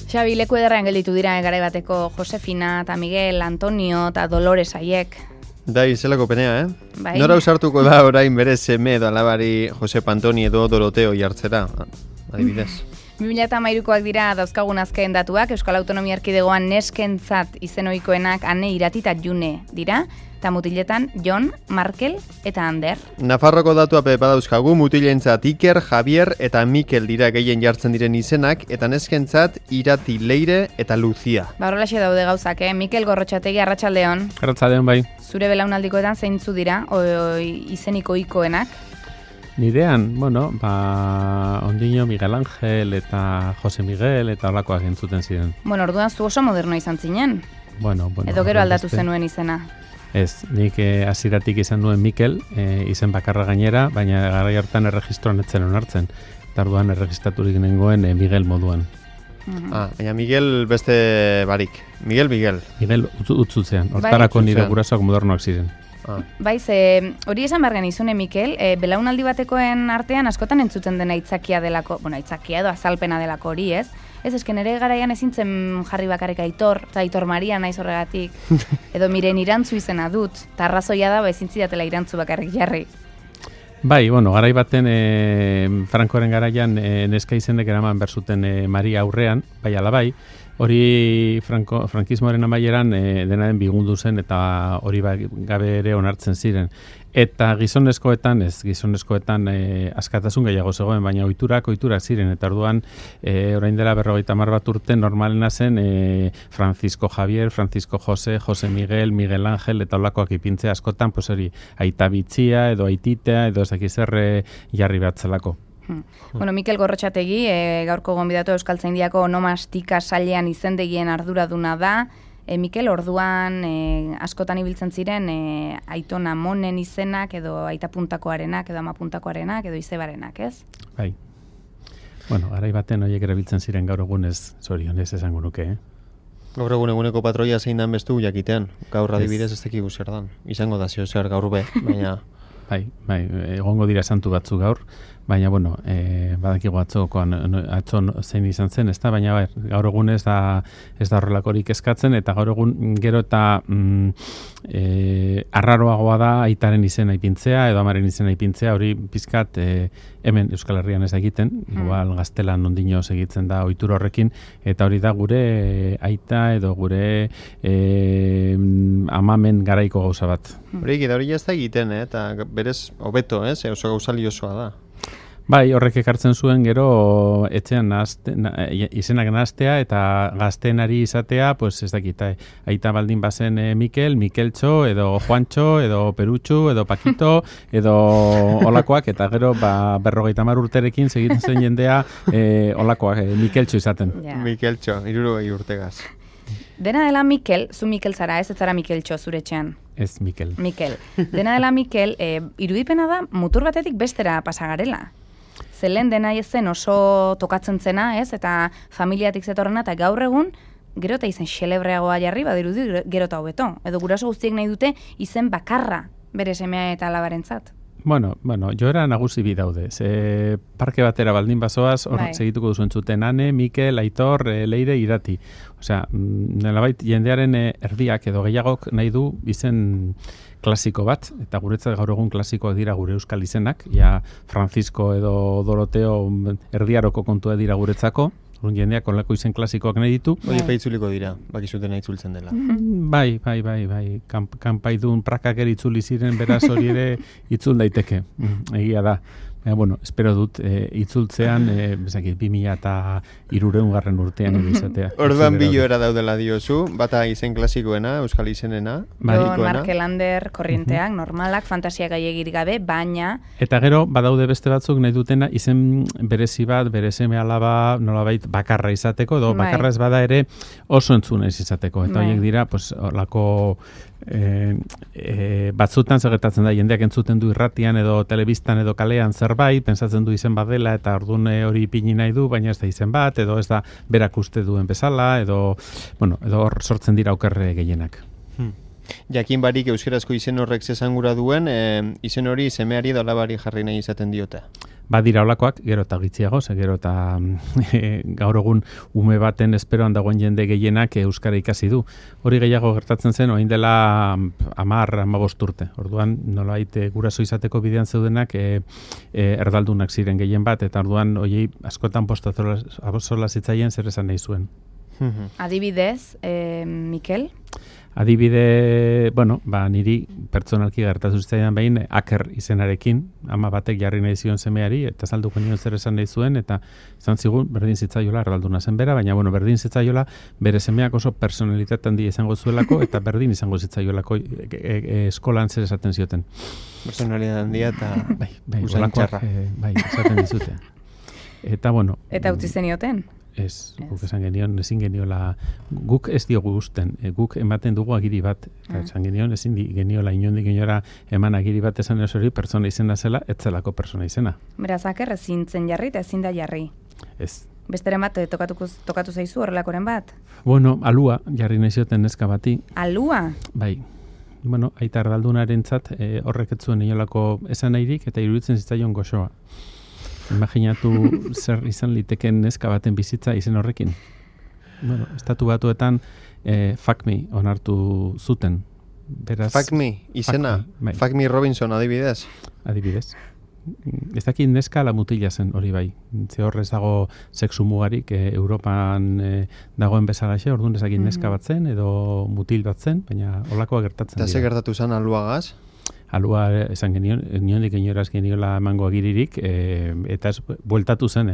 Xabi, leku ederrean gelditu dira garai bateko Josefina eta Miguel, Antonio eta Dolores haiek. Da, izelako penea, Bai. Nora usartuko da orain bere seme edo alabari Josep Antoni edo Doroteo jartzera, adibidez. 2013koak dira dauzkagun azken datuak, Euskal Autonomia Erkidegoan neskentzat izen ohikoenak Ane, Irati eta June dira, eta mutiletan Jon, Markel eta Ander. Nafarroko datua badauzkagu, mutilentzat Iker, Javier eta Mikel dira gehien jartzen diren izenak, eta neskentzat Irati, Leire eta Lucia. Horrelaxe daude gauzak, Mikel Gorrotxategi, arratsaldeon. Arratsaldeon bai. Zure belaunaldikoetan zeintzu dira izeniko ohikoenak? Nidean, ondino Miguel Ángel eta Jose Miguel eta holakoak entzuten ziren. Orduan zu oso moderno izan zinen. Edo gero aldatu zenuen izena. Ez, nik hasieratik izan nuen Mikel, izen bakarra gainera, baina garai hartan erregistroan etzen onartzen. Eta orduan erregistraturik nengoen Miguel moduan. Baina Miguel beste barik. Miguel. Miguel utzutzean, hortarako nire gurasoak modernoak ziren. Baiz, hori esan behar genizune, Mikel, belaunaldi batekoen artean askotan entzuten dena aitzakia delako, aitzakia edo azalpena delako hori, ez? Ez, esken ere garaian ezintzen jarri bakarrik Aitor, eta Aitor Maria naiz horregatik, edo miren irantzu izena dut, eta arrazoia da, ezintzidatela irantzu bakarrik jarri. Bai, garai baten Frankoren garaian neska izenek eraman berzuten Maria aurrean, bai alabai, hori frankismoaren amaieran dena den bigundu zen eta hori gabe ere onartzen ziren. Eta gizonezkoetan askatasun gehiago zegoen, baina ohiturak ziren, eta orduan orain dela 50 bat urte normalena zen Francisco Javier, Francisco Jose, Jose Miguel, Miguel Ángel eta holakoak ipintze askotan, hori aita bitzia edo aititea edo ezakizerre jarri batzelako. Mikel Gorrotxategi, gaurko gonbidatu Euskaltzaindiako onomastika sailean izendegien arduraduna da. Mikel, orduan askotan ibiltzen ziren Aitona Monen izenak edo Aita Puntakoarenak edo Ama Puntakoarenak edo Izebarenak, ez? Bai. Garai baten horiek erabiltzen ziren gaur egunez, zorionez esango nuke, Gaur eguneko patroia zein dan bestu jakitean. Gaur adibidez ez dakigu zer dan. Izango da zer gaur be, baina... Bai, egongo dira santu batzu gaur, baina, badakigu atzo zein izan zen, ez da, baina gaur egun ez da horrelakorik eskatzen, eta gaur egun gero eta arraroagoa da aitaren izena ipintzea, edo amaren izena ipintzea, hori pizkat hemen Euskal Herrian ez egiten, igual gaztelan ondino segitzen da ohitura horrekin, eta hori da gure aita edo gure amamen garaiko gauza bat. Hori ez da egiten, eta berez hobeto, oso gauza liosoa da. Bai, horrek ekartzen zuen gero etxean izenak nahaztea eta gaztenari izatea, ez dakit, aita baldin bazen Mikel, Mikeltxo, edo Juantxo, edo Perutxu, edo Pakito, edo olakoak, eta gero 50 urterekin segitzen zen jendea olakoak, Mikeltxo izaten. Mikeltxo, 60 urtegaz. Dena dela Mikel, zu Mikel zara, ez zara Mikeltxo zure etxean? Ez Mikel. Dena dela Mikel, irudipena da mutur batetik bestera pasagarela. Zelen dena zen oso tokatzen zena, ez? Eta familiatik zetorrena, eta gaur egun, gero eta izen xelebreagoa jarri, badirudi gero eta hobeto. Edo guraso guztiek nahi dute izen bakarra bere semea eta alabarentzat. Joera nagusi bi daude. Parke batera baldin bazoaz, hor segituko duzu entzuten Ane, Mikel, Aitor, Leire, Irati. Nolabait jendearen erdiak edo gehiagok nahi du izen klasiko bat, eta guretzat gaur egun klasikoak dira gure euskal izenak, Francisco edo Doroteo erdiaroko kontua dira guretzako, jendeak onlako izen klasikoak nahi ditu. Hori peitzuliko dira, bakizuten nahi itzultzen dela. Bai. Kanpaidun prakak eritzuli ziren, beraz hori ere itzul daiteke. Egia da. Espero dut itzultzean 2003 urtean izatea. Orduan biloera daudela diozu, bata izen klasikoena, euskal izenena. Jon, Markel, Ander, korrienteak, normalak, fantasia gaiegir gabe, baina... Eta gero, badaude beste batzuk nahi dutena izen berezi bat, bere seme alaba, nolabait bakarra izateko, edo bakarra ez bada ere oso entzunez izateko. Eta horiek dira, olako... batzutan gertatzen da jendeak entzuten du irratian edo telebistan edo kalean zerbait, pentsatzen du izen bat dela eta ordun hori ipini nahi du, baina ez da izen bat edo ez da berak uste duen bezala edo hor sortzen dira okerre gehienak. Jakin barik euskarazko izen horrek zesangura duen, izen hori semeari edo alabari jarri nahi izaten diote. badira olakoak, gero eta gitziago, gero eta gaur egun ume baten esperoan dagoen jende gehienak euskara ikasi du. Hori gehiago gertatzen zen, orain dela 10-15 urte. Orduan, nolabait guraso izateko bidean zeudenak erdaldunak ziren gehien bat, eta orduan hoiei askotan postazola zitzaien zer esan nahi zuen. Adibidez, Mikel? Adibide, niri pertsonalki gertatu zitzaidan behin Aker izenarekin, ama batek jarri nahi zion semeari, eta salduko nion zer esan nahi zuen, eta izan zigun berdin zitzaiola erdalduna zen bera, baina berdin zitzaiola bere semeak oso personalitate handia izango zuelako, eta berdin izango zitzaiolako eskolan zer esaten zioten. Personalitate handia eta usain txarra. Bai, esaten dizute. Eta Eta utzi zenioten? Ez, guk esan genion, ezin geniola, guk ez diogu gusten, guk ematen dugu agiri bat, eta esan genion, ezin geniola inondik inora eman agiri bat esan hori pertsona izena zela, ez zelako pertsona izena. Beraz, Aker ezin zen jarri eta ezin da jarri. Ez. Besteren bat tokatu zaizu horrelakoren bat? Alua jarri nahi zioten neska bati. Alua? Bai. Aita erdaldunarentzat horrek ez zuen inolako esan nahirik eta iruditzen zitzaion goxoa. Imaginatu zer izan liteken neska baten bizitza izen horrekin. Estatu Batuetan Fuck Me onartu zuten. Beraz, Fuck Me, izena? Fuck Me Robinson, adibidez? Adibidez. Ez dakit neska ala mutila zen hori bai. Ze horrez dago sexu mugarik Europan dagoen bezalaxe, orduan ez dakit neska bat zen edo mutil bat zen, baina holakoa gertatzen dira. Eta ze gertatu zen aluagaz? Alua esan genion, niondik inoraz geniola emango agiririk, eta ez bueltatu zen,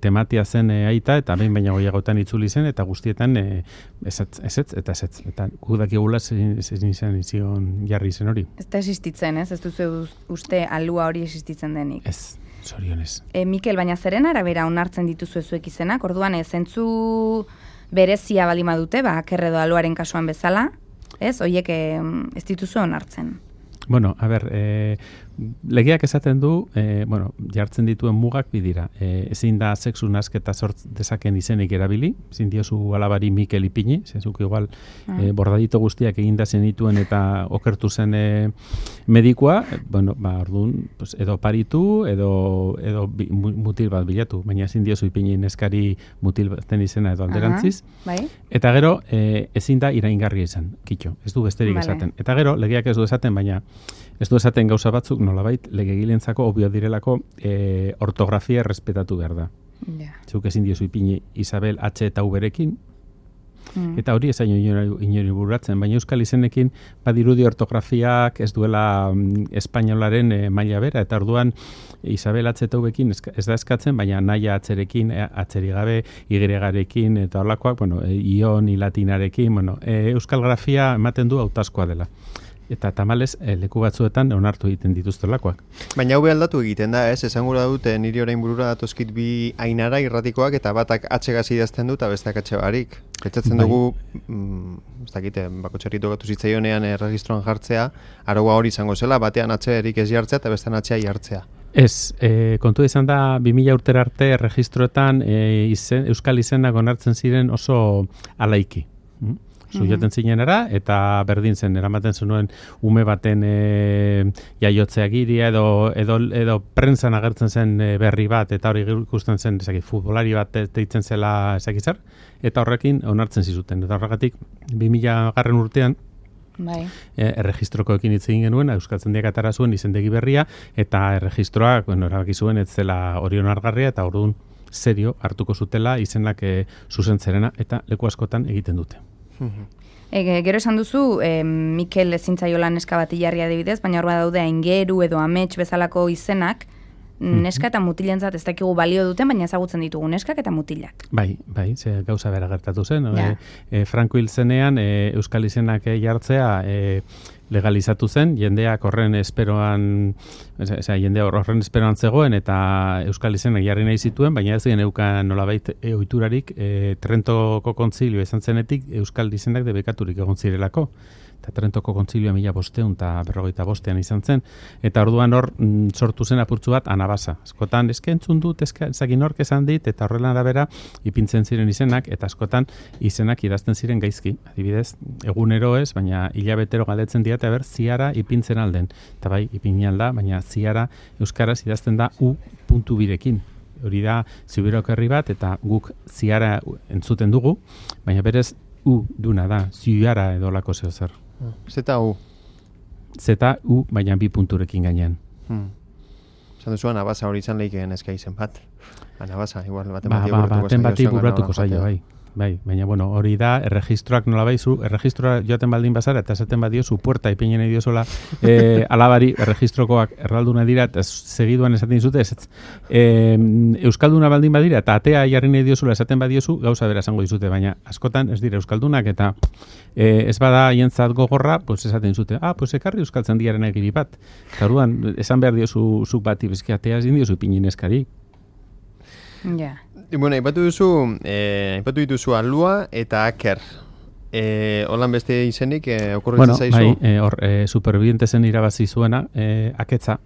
tematia zen aita, eta behin baina goiagotan itzuli zen, eta guztietan ezetz. Eta gudakigula zein zion jarri zen hori. Ez da existitzen, ez? Ez duzu uste alua hori existitzen denik? Ez, zorionez. Mikel, baina zeren arabera onartzen dituzu ezuek izenak, orduan zentzu berezia balima dute, Aker edo aluaren kasuan bezala, ez, horiek ez dituzu onartzen. Legeak esaten du, jartzen dituen mugak bidira. Ezin da sexu nasketa sort dezaken izenik erabili, ezin diozu alabari Mikel ipini, zezuk igual bordadito guztiak eginda zenituen eta okertu zen medikua, orduan, edo paritu, edo mutil bat bilatu, baina ezin diozu ipini neskari mutil baten izena edo alderantziz. Eta gero, ezin da iraingarria izan, kitxo, ez du besterik esaten. Eta gero, legeak ez du esaten, baina ez du esaten gauza batzuk, nolabait, legegilentzako obvio direlako ortografia errespetatu behar da. Zuk ezin diozu ipini Isabel H eta U-berekin, eta hori ezaino inori bururatzen, baina euskal izenekin badirudi ortografiak ez duela espainolaren maila bera, eta orduan Isabel H eta U-bekin ez da eskatzen, baina naia atzerekin, atzeri gabe, Y-garekin, eta horlakoak, ion, latinarekin, euskal grafia ematen du hautazkoa dela. Eta tamalez, leku batzuetan onartu egiten dituztelakoak. Baina hau aldatu egiten da, ez? Esan gura dute niri orain burura datozkit bi ainara irratikoak eta batak atxegaz idazten du eta besteak atxe barik. Pentsatzen dugu, ez dakite, bakotxerri tokatu zitzaionean erregistroan jartzea, araua hori izango zela, batean atxerik ez jartzea eta bestean atxea jartzea. Ez, kontu izan da 2000 urtera arte erregistroetan euskal izenak onartzen ziren oso alaiki. Zuioten zinenera, eta berdin zen, eramaten zenuen ume baten jaiotzea giria, edo prentzan agertzen zen berri bat, eta hori ikusten zen, futbolari bat deitzen zela ezakizar, eta horrekin onartzen zizuten. Eta horregatik, 2000 urtean, erregistrokoekin hitz egin genuen, euskaltzendiak atara zuen izendegi berria, eta erregistroak, erabaki zuen ez zela hori onargarria, eta orduan serio hartuko zutela izenak zuzentzerena, eta leku askotan egiten dute. Gero esan duzu, Mikel ezintzaiola neska bat jarri adibidez, baina hor daude aingeru edo amets bezalako izenak, neska eta mutilentzat ez dakigu balio duten, baina ezagutzen ditugu neskak eta mutilak. Bai, ze gauza bera gertatu zen. Franco hil zenean, euskal izenak jartzea legalizatu zen, jendeak horren esperoan zegoen eta euskal izenak jarri nahi zituen, baina ez geneukan nolabait ohiturarik Trentoko kontzilio izan zenetik euskal izenak debekaturik egon zirelako. Eta Trentoko kontzilioa 1555 izan zen, eta orduan hor sortu zen apurtzu bat anabasa. Askotan entzun dut, ezagin nork esan dit, eta horrela arabera ipintzen ziren izenak, eta askotan izenak idazten ziren gaizki. Adibidez, egunero ez, baina hilabetero galdetzen diate, ziara ipintzen alden. Eta bai, ipin alda, baina ziara euskaraz idazten da u puntu birekin. Hori da Zuberoko herri bat, eta guk ziara entzuten dugu, baina berez u duna da, ziara edo lako zer. Zeta u? Zeta u, baina 2 punturekin gainean. Zan duzu, anabasa hori izan lehikeen eska izen bat. Anabasa, igual, baten bati burratuko zaio, bai. Bai, baina bueno, hori da, erregistroak nola baizu, erregistroa joaten baldin bazara, eta esaten badiozu puerta ipinen nahi diozola alabari, erregistrokoak erralduna dira, eta segiduan esaten dizute, euskalduna baldin badira, eta atea jarri nahi diozola esaten badiozu, gauza bera esango dizute, baina askotan ez dira euskaldunak, eta ez bada hientzat gogorra, pues esaten dizute, pues ekarri euskaltzen diaren egiri bat. Eta orduan, esan behar diozu zuk bati, bezki atea ez diozu ipinen eskari. Ja. Bueno, aipatu dituzu alua eta aker. Holan beste izenik okurritzen zaizu? Bai, supervivientesen irabazi zuena, aketza.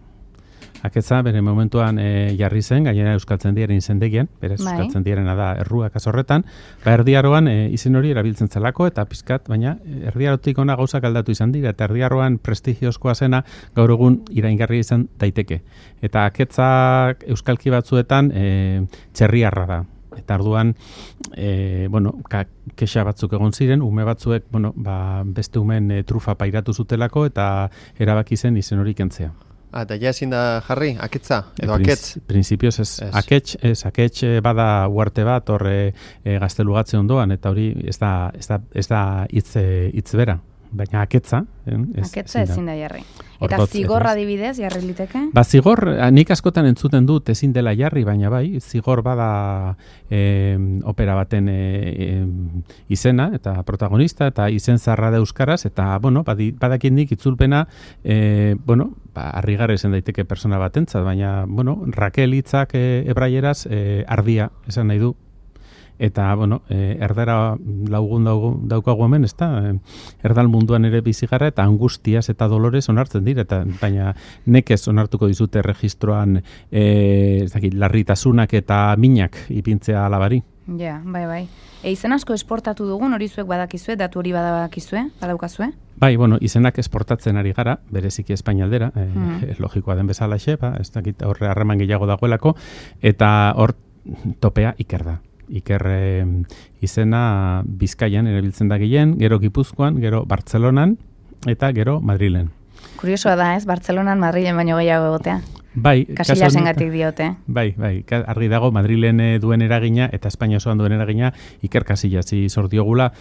Aketza, bere momentuan jarri zen, gainera euskaltzen diaren izendegian, berez euskaltzen diarena da erruak azorretan, erdiaroan izen hori erabiltzen zelako, eta pizkat, baina erdiarotik ona gauzak aldatu izan dira, eta erdiaroan prestigiozkoa zena gaur egun iraingarria izan daiteke. Eta aketzak euskalki batzuetan txerriarra da. Eta arduan, kexa batzuk egon ziren, ume batzuek, beste umen trufa pairatu zutelako, eta erabaki zen izen hori kentzea. Eta ja ezin da jarri, aketza, edo aketz? Principios ez. Aketz bada uarte bat, horre gaztelugatze ondoan, eta hori ez da hitz bera. Baina aketza... Aketza ezin da jarri. Eta zigorra adibidez, jarri liteke? Zigor, nik askotan entzuten dut ezin dela jarri, baina bai, zigor bada opera baten izena, eta protagonista, eta izen zarra da euskaraz, eta, badakin nik itzulpena, harrigarri esan daiteke persona batentzat, baina, Raquel hitzak hebraieraz ardia, esan nahi du. Eta, erdara laugun daukagu hemen, ez da? Erdal munduan ere bizigara eta angustiaz eta dolores onartzen dira, baina nekez onartuko dizute registroan larritasunak eta minak ipintzea alabari. Ja, bai. Izen asko esportatu dugun, hori zuek badakizue, datu hori badaukazue? Bai, izenak esportatzen ari gara, bereziki Espainialdera, logikoa den bezalaxe, ez dakit horre harreman gehiago dagoelako, eta hor topea Iker da. Iker izena Bizkaian erabiltzen da gehien, gero Gipuzkoan, gero Bartzelonan eta gero Madrilen. Kuriosoa da, ez? Bartzelonan, Madrilen baino gehiago egotea. Bai, Kasillasengatik diote. Bai, argi dago Madrilen duen eragina eta Espainia osoan duen eragina Iker Casillasi zor diogula.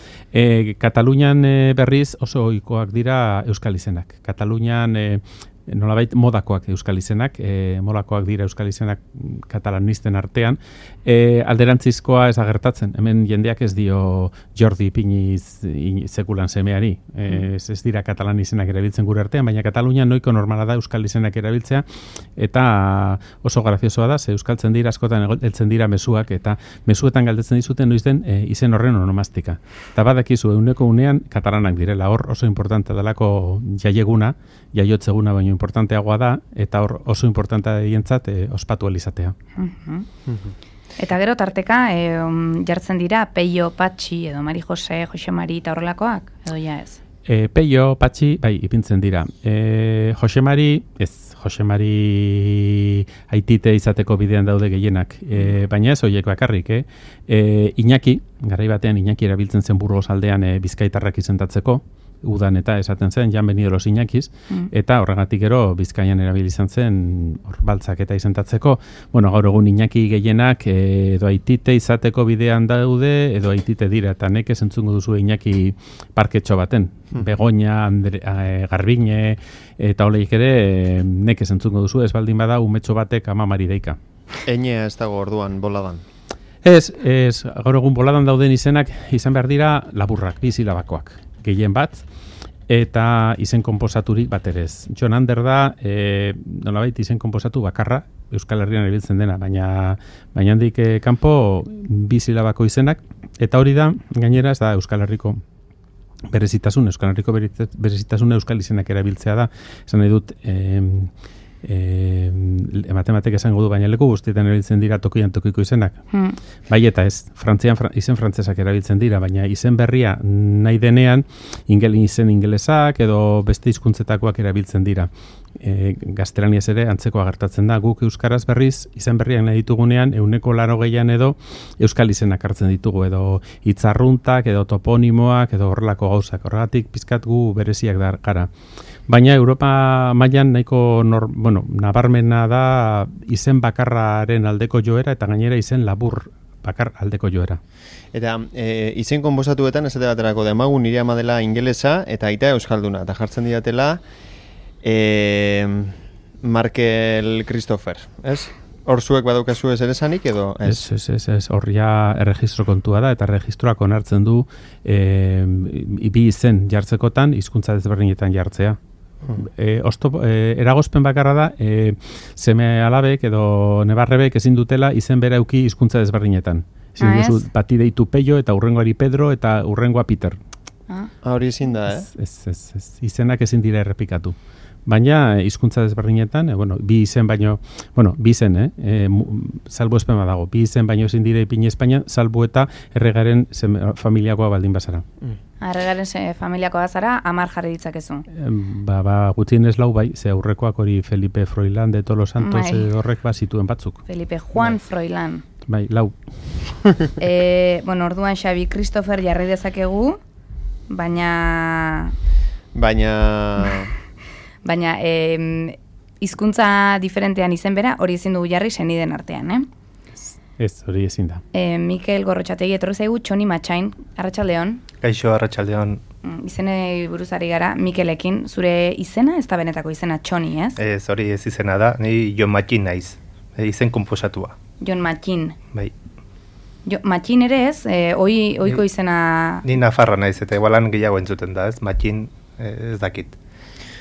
Katalunian berriz oso ohikoak dira euskal izenak. Katalunian nolabait modakoak euskal izenak, modakoak dira euskal izenak katalanisten artean, alderantzizkoa ez agertatzen. Hemen jendeak ez dio Jordi Ipiniz sekulan semeari. Ez dira katalan izenak erabiltzen gure artean, baina Katalunian noiko normala da euskal izenak erabiltzea, eta oso graziosoa da, ze euskaltzen dira askotan heltzen dira mezuak, eta mezuetan galdetzen dizuten noiz den izen horren onomastika. Eta badakizu, euneko unean katalanak direla, hor oso importante delako jaiotzeguna baino importanteagoa da, eta hor oso importantea dientzat ospatu alizatea. Eta gero tarteka, jartzen dira Peio, Patxi, edo Mari Jose, Jose Mari eta horrelakoak, edo ja ez? Peio, Patxi, bai, ipintzen dira. Jose Mari, Jose Mari aitite izateko bidean daude gehienak, baina ez horiek bakarrik, Iñaki, garai batean Iñaki erabiltzen zen Burgos aldean bizkaitarrak izentatzeko, udan eta esaten zen, jan benido los Iñakiz, eta horregatik gero Bizkaian erabil izan zen baltzak eta izentatzeko. Gaur egun Iñaki gehienak edo aitite izateko bidean daude, edo aitite dira, eta nekez entzungo duzu Iñaki parketxo baten. Begoña, Garbine, eta oleik ere nekez entzungo duzu, ez baldin bada umetxo batek amamari deika. Einea ez dago orduan boladan? Ez, gaur egun boladan dauden izenak izan behar dira laburrak, bizilabakoak. Gehien bat, eta izen konposaturik bat ere ez. Jon Ander da, nolabait izen konposatu bakarra, Euskal Herrian erabiltzen dena, baina handik kanpo bizilabako izenak, eta hori da, gainera ez da Euskal Herriko berezitasun, Euskal izenak erabiltzea da, esan nahi dut, ematek esango du, baina leku guztietan erabiltzen dira tokian tokiko izenak. Bai eta ez, Frantzian izen frantzesak erabiltzen dira, baina izen berria nahi denean izen ingelesak edo beste hizkuntzetakoak erabiltzen dira. Gaztelaniaz ere antzekoa gertatzen da. Guk euskaraz berriz izen berriak nahi ditugunean 180 edo euskal izenak hartzen ditugu edo hitzarruntak edo toponimoak edo horrelako gauzak. Horregatik pizkat gu bereziak da gara. Baina Europa mailan nahiko nabarmena da izen bakarraren aldeko joera eta gainera izen labur bakar aldeko joera. Eta izen konposatuetan esate baterako demagun nire ama dela ingelesa eta aita euskalduna eta jartzen didatela Markel Christopher, ez? Hor zuek badaukazu ez ere esanik edo? Ez, hor ja erregistro kontua da, eta registroak onartzen du bi izen jartzekotan, hizkuntza desberdinetan jartzea. Eragozpen bakarra da, seme alabek edo nebarrebek ezin dutela izen bera euki hizkuntza desberdinetan. Ezin duzu bati deitu Peio eta urrengoari Pedro eta urrengoa Peter. Hori ezin da, Ez. Izenak ezin dira errepikatu. Baina hizkuntza desberdinetan, bi izen baino, bi izen, salbu espema dago, bi izen baino ezin dira ipini Espainian, salbu eta erregaren familiakoa baldin bazara. Erregaren familiakoa bazara, 10 jarri ditzakezu. Gutxienez lau bai, ze aurrekoak hori Felipe Froilán de Todos los Santos horrek zituen batzuk. Felipe Juan Froilán. Bai, lau. Orduan Xabi Christopher jarri dezakegu, baina hizkuntza diferentean izen bera, hori ezin dugu jarri seniden artean, Ez, hori ezin da. Mikel Gorrotxategi etorri zaigu Txoni Matxain, arratsaldeon. Kaixo, arratsaldeon. Izenei buruzari gara, Mikelekin, zure izena, ez da benetako izena Txoni, ez? Ez, hori ez izena da, ni Jon Matxin naiz, izen konposatua. Jon Matxin. Bai. Matxin ere ez, oiko izena... Ni nafarra naiz, eta igualan gehiago entzuten da, ez? Matxin ez dakit.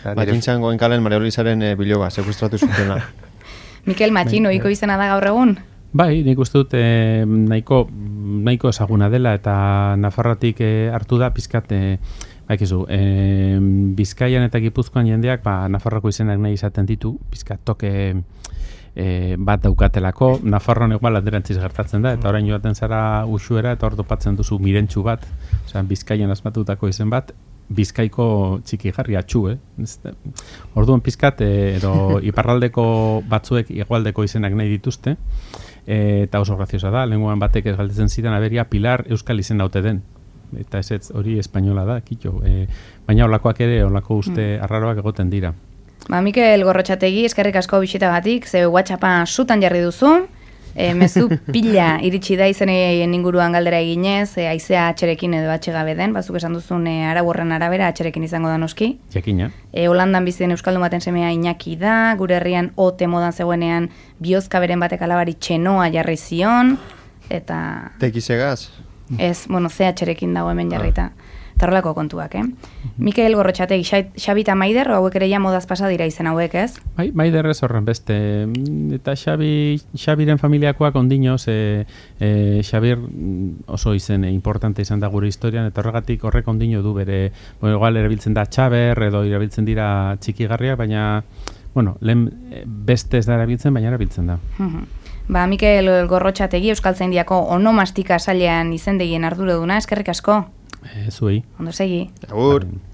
Matxintzan goen kalen Maria Luisaren biloba, sekustratu zutela. Mikel Matxin, oiko izena da gaur egun? Bai, nik uste dut nahiko ezaguna dela eta Nafarroatik hartu da pizkat, Bizkaian eta Gipuzkoan jendeak Nafarroko izenak nahi izaten ditu, pizkat toke bat daukatelako, Nafarroan egual alderantziz gertatzen da, eta orain joaten zara usuera eta hor topatzen duzu mirentxu bat, Bizkaian asmatutako izen bat, Bizkaiko txiki jarri atxu, Orduan pizkat, edo iparraldeko batzuek igualdeko izenak nahi dituzte, eta oso graziosa da, lenguan batek ez galdetzen zidan aberia Pilar Euskal izen haute den. Eta ez hori espainola da, kitxo. Baina olakoak ere, olako uste arraroak egoten dira. Mikel Gorrotxategi, eskerrik asko bisitagatik, ze WhatsAppa sutan jarri duzu, mezu pila iritsi da izeneen inguruan galdera eginez, haizea atxerekin edo atxegabe den, bazuk esan duzun arau horren arabera atxerekin izango da noski. Jakina. Holandan bizi den euskaldun baten semea Iñaki da, gure herrian ote modan zegoenean biozka beren batek alabari txenoa jarri zion, eta... Tekizegaz? Ez, ze atxerekin dago hemen jarrita. Eta horrelako kontuak, Mikel Gorrotxategi, Xabi eta Maider, hauek ere ja modaz pasa dira izen hauek, ez? Bai, Maider ez horren beste. Eta Xabiren familiakoak ondino, Xabir oso izen importante izan da gure historian, eta horregatik horrek ondino du bere, igual erabiltzen da Txaber, edo erabiltzen dira txikigarriak, baina, lehen beste ez da erabiltzen, baina erabiltzen da. Mikel Gorrotxategi, Euskaltzaindiako onomastika sailean izendegien arduraduna, eskerrik asko. Zuei. Ondo segi. Agur.